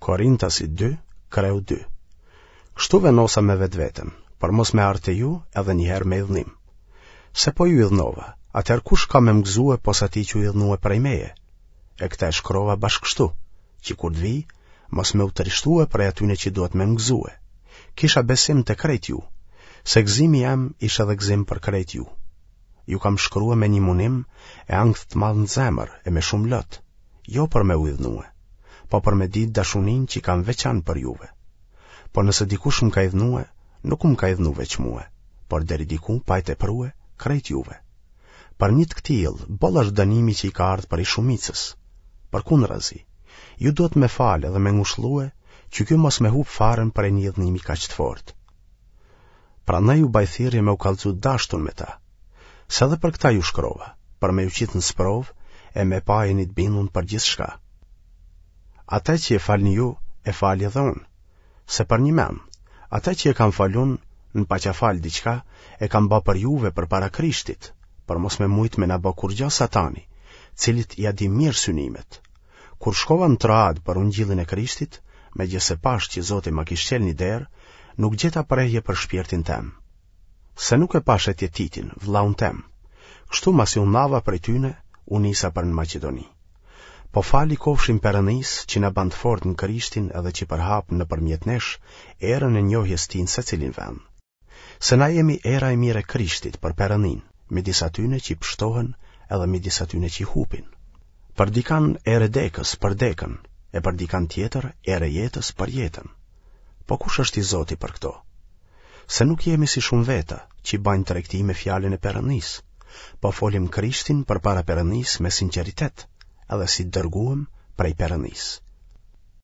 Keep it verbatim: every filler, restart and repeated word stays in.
Korintasit dy, kreu dy. Kështu vendosa me vetveten, për mos me ardhë te ju edhe një herë me idhnim. Se po ju idhnova, atëherë kush ka me më gëzue pos atij që u idhnue prej meje? E këta e shkrova bash kështu, që kur të vij, mos me u trishtue prej atyne që duhet me më gëzue. Kisha besim te krejt ju, se gëzimi jem ish edhe gëzim për krejt ju. Ju kam shkrue me një munim e ankth të madh në zemër e me shumë lot, jo për me u idhnue, po për me ditë dashuninë që kam veçan për juve. Po nëse dikush më ka idhnue, nuk më ka idhnu veç mue, por deri diku pa e teprue krejt juve. Për një të këtillë, boll është dënimi që i ka ardhë prej shumicës. Përkundrazi, ju duhet me falë edhe me ngushllue që ky mos me hup farën prej një idhnimi kaq të fortë. Prandaj ju baj thirrje me u kallxu dashtun me ta. Se edhe për këta ju shkrova, për me ju qitë në sprovë e me pa a jeni të bindun për gjithçka. Atë që e falni ju, e fali edhe unë. Se përnjëmend, atë që e kam falë unë, në paça falë diçka, e kam ba për juve përpara Krishtit, për mos me mujtë me na ba kurgjo satani, cilit ia di mirë synimet. Kur shkova në Troadë për ungjillin e Krishtit, megjithëse pashë që Zoti ma kish çelë një derë, nuk gjeta prehje për shpirtin tem. Se nuk e pashë atje Titin, vëllaun tem. Kështu masi u ndava prej tyne, u nisa për në Maqedoni. Po falë i kofshin Perëndisë që na ban të fortë në Krishtin edhe që përhap nëpërmjet nesh erën e njohjes tij në secilin vend. Se na jemi era e mirë e Krishtit për Perëndinë, midis atyne që pështohen edhe midis atyne që hupin. Për dikan erë e dekës për dekën, e për dikan tjetër erë e jetës për jetën. Po kush është i zoti për këto? Se nuk jemi si shumë veta që bajnë tregti me fjalën e Perëndisë, po folim Krishtin përpara Perëndisë me sinqeritet, edhe si dërguem prej Perëndisë.